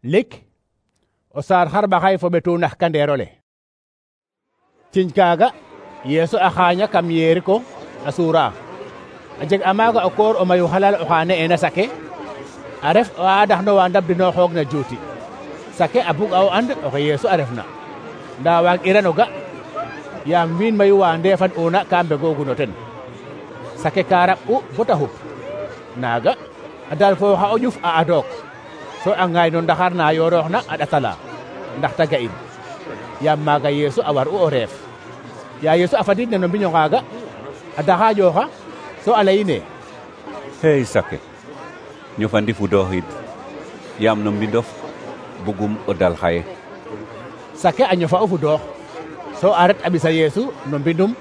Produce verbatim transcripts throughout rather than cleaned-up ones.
lik o saar xarɓaxay fo ɓetu nax kandeerole ciñ kaaga Yeesu a xaaña kam Yeriko a suura a jeg a maaga o koor o mayu xalal oxa ne'eena Sake a ref o adaxnowa ndabdinooxoog na juuti. Sake a bug a o and oxe Yeesu a refna ndaa waag irano ga yaam wiin mayu wa ndeefan una ka mbegoogu no ten. Sake ka raɓ'u bota xup naaga a dalfooxa o ƴuf a adook so a ŋaay no ndaxar na yoorooxna a ɗatala ndax ta ga'in yaam maaga Yeesu a war'u o reef. Ya Yeesu a fadidna no mbiño ngaaga a daxaaƴooxa so a layine hey Sake ñofandi fudooxid yaam no mbindof bugum o dal xaye. Sake a ñofa o fudoox so a ret a ɓisa Yeesu no mbindum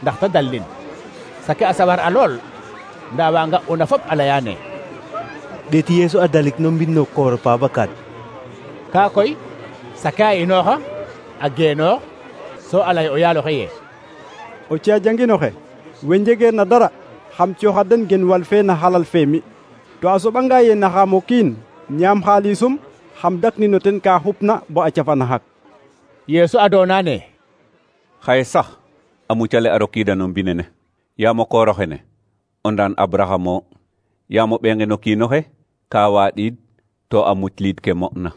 ndax ta dallin. Sake a sawar a lool ndaa wa nga'una fop a layaane ɗeeti Yeesu a dalik no mbind no koor pa bakad. Kaa koy Sake a inooxa a geenoox so a lay o yaaloxe ye o ciya janginoxe we njegeer na dara xam cooxa den gen wal fe na xalal fe mi to a soɓanga ye naxaam o kiin ñaam xaalisum xam daknino ten ka xupna bo a cafana xak. Yeesu a doonaane xaye sax a mucale a rokiida no mbinene yaam o kooroxene o ndaan Abraham o yaam o ɓeenge no kiinoxe ka waaɗiid to a mucliid ke mo'na.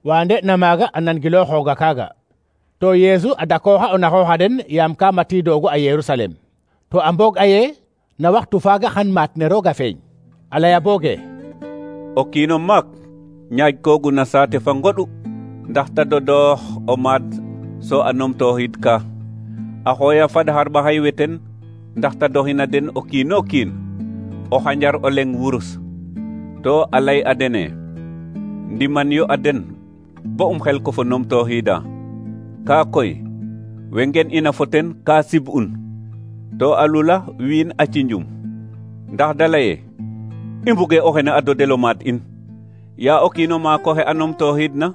wa nde'na maaga a nangilooxooga kaaga to Yeesu a dakooxa o naxooxa den yaam ka matiidoogu a Yerusalem to a mboog a ye na waxtu faaga xan maat ne roog a feeñ a laya booge o kiino maak ñaajkoogu na saate fa ngoɗu ndax ta dodoox o maad so a numtooxiid ka a xooya fad xarɓaxay weten ndax ta doxina den o kiino kiin o xanjar o leng wurus to a lay a dene ndiman yo a den bo um xel ko fo numtooxiida kaa koy we ngen ina fo ten ka sib'un to a lula wiin a cinjum ndax da laye i mbuge o xene a dodel o maad in yaa o kiino maak oxe a numtooxiidna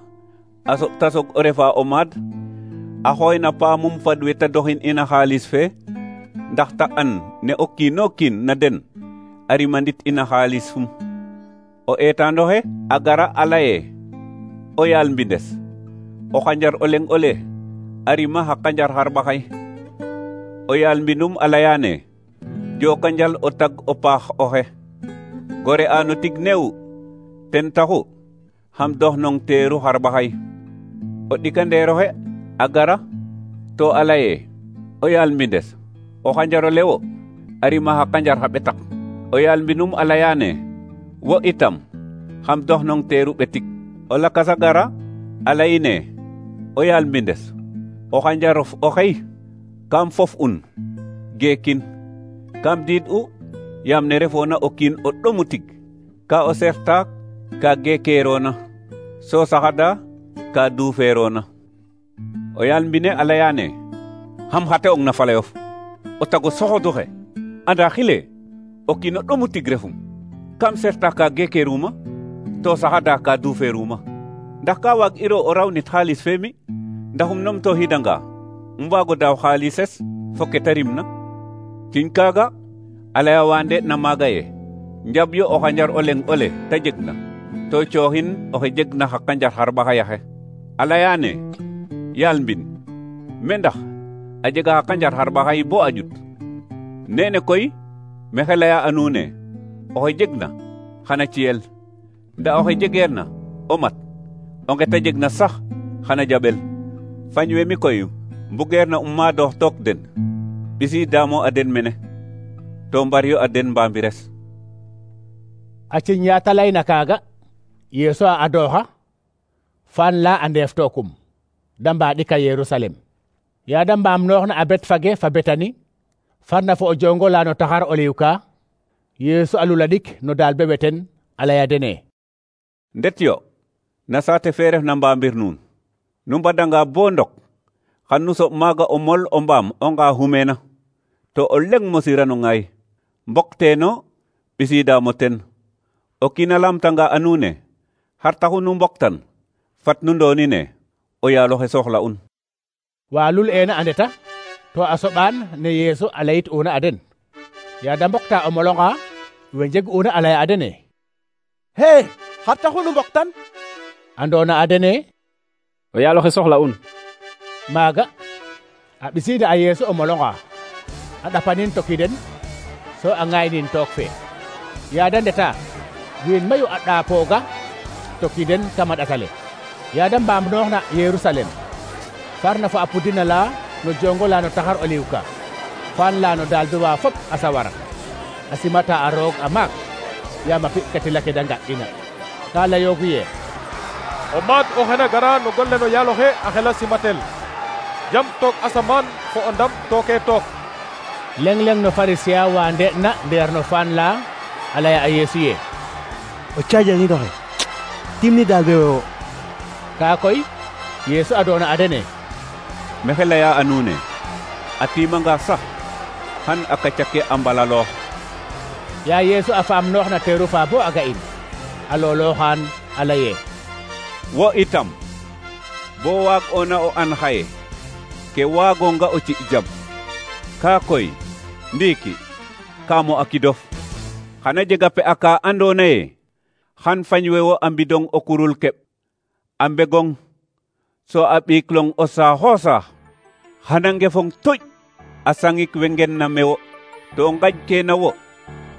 a soɓ ta soog o refa o maad a xooyna paamum fad we ta doxin ina xaalis fe ndax ta an ne o kiino kiin na den a rimandit ina xaalis fum o eetaandoxe a gara a laye o yaal mbindes o xanjar o leng ole a rima xa kanjar xarɓaxay o yaal mbindum a layaane jooka njal o tag o paax oxe gore a no tig neew ten taxu xam dox nong teeru xarɓaxay o ɗikandeeroxe a gara to a laye o yaal mbindes o xanjar o lewo a rima xa kanjar xa ɓetak o yaal mbindum a layaane wo itam xam dox nong teeru ɓetik o lakas a gara a layine o yaal mbindes o xanjarof oxey kam fof un geekin kam diid u yaam ne refoona o kiin o ɗomu tig ka o seextaak ka geekeeroona so saxada ka duufeeroona o yaal mbine a layaane xam xate'ong na falayof o tago soxoduxe anda xile o kiin o ɗomu tig refum kam seextaak ka geekeeruma to saxada ka duufeeruma ndax ka waag iro o rawnit xaalis fe mi ndaxum numtooxiidanga um waago daaw xaalises fo ke ta rimna ciñ kaaga a laya wa nde'na maaga ye njab yo o xanjar o leng ole ta jegna to cooxin oxe jegna xa kanjar xarɓaxay axe a layaane yaal mbin me ndax a jega xa kanjar xarɓaxay bo a ƴut nene koy mexe laya a nuune oxe jegna xana ciyel nda oxe jegeerna o mat o nge ta jegna sax xana jaɓel fañ we mi koy mbugeerna um maadoox took den ɓisiidaamo a den mene to mbaryo a den mbaambires. a ciñ yaa ta layna kaaga Yeesu a adooxa faan la a ndeef tookum da mbaaɗika Yerusalem yaa da mbaamnooxna a Betfage fa Betani farna fo o jongo la no taxar o liw ka Yeesu a lula ɗik no daal be weten a laya dene ndet yo na saate fe ref na mbaambir nuun nu mbadanga bo ndok xan nu soɓ maaga o mol o mbaam o nga xumeena to o leng mosira no ŋaay mbokteeno ɓisiidaamo ten o kiin a lamtanga a nuune xar taxu nu mboktan fat nu ndoonine o yaaloxe soxla'un. wa lul eena a ndeta to a soɓaan ne Yeesu a layit una a den yaa da mbokta o molonga we njeg una a laya a dene hee xar taxu nu mboktan andona adene o yaaloxe soxla un maaga a ɓisiida a Yeesu o molonga a ɗapanin toki den so a ŋaaynin took fe yaada ndeta wiin mayu a ɗaapooga toki den kama ɗatale yaada mbaam nooxna Yerusalem farna fa a pudina la no jongo la no taxar oliw ka faan la no daal duwa fop a sawara a simata a roog a maak yaam a pi'katila ke da nga'ina ka layoogu ye o maad o xena gara no golle no yaaloxe a xela simatel jam took asamaan fo o ndam tooke took leng-leng no Pharisien wa nde'na ndeer no faan la a laya a Yeesu ye o caajangidoxe timni daal be wo ka koy Yeesu a doona a dene mexe leya a nuune a timanga sax xan a kacake a mbalaloox ya Yeesu a faam noox na teeru fa bo a ga'in a loolooxaan a laye wo itam bo waag ona o an xaye ke waagonga o ci jam ka koy ndiiki kaamo a kidof xana jega pe aka andona ye xan fañwe wo a mbidong o kurul keɓ a mbegong so a ɓiiklong o saaxo saax xana ngefong tuj a sangik we ngen na mewo to ngaj kena wo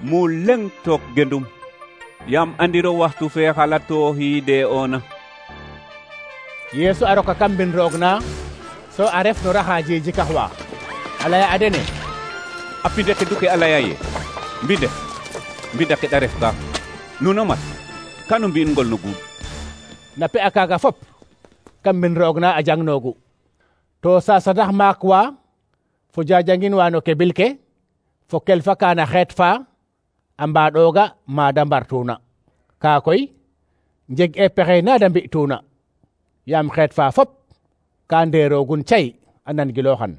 mu leng took gendum yam andiro waxtu fe xalatooxiide ona Yeesu a roka kam mbin roog na so a ref no raxa jeji kaxwa a laya a dene a pinde ke duke a laya ye mbinde mbida ke ɗa ref ka nuno mat kanu mbi'in ngol no guuɗ na pe a kaaga fop kam mbin roog na a jang noogu to sasanax maak wa fo jajangin wa no kebil ke fo kelfa kana xeet fa a mbaɗoga mada mbartuna ka koy njeg e pexe na da mbi'tuna yaam xeet fa fop ka ndeerogun cay a nan giloxan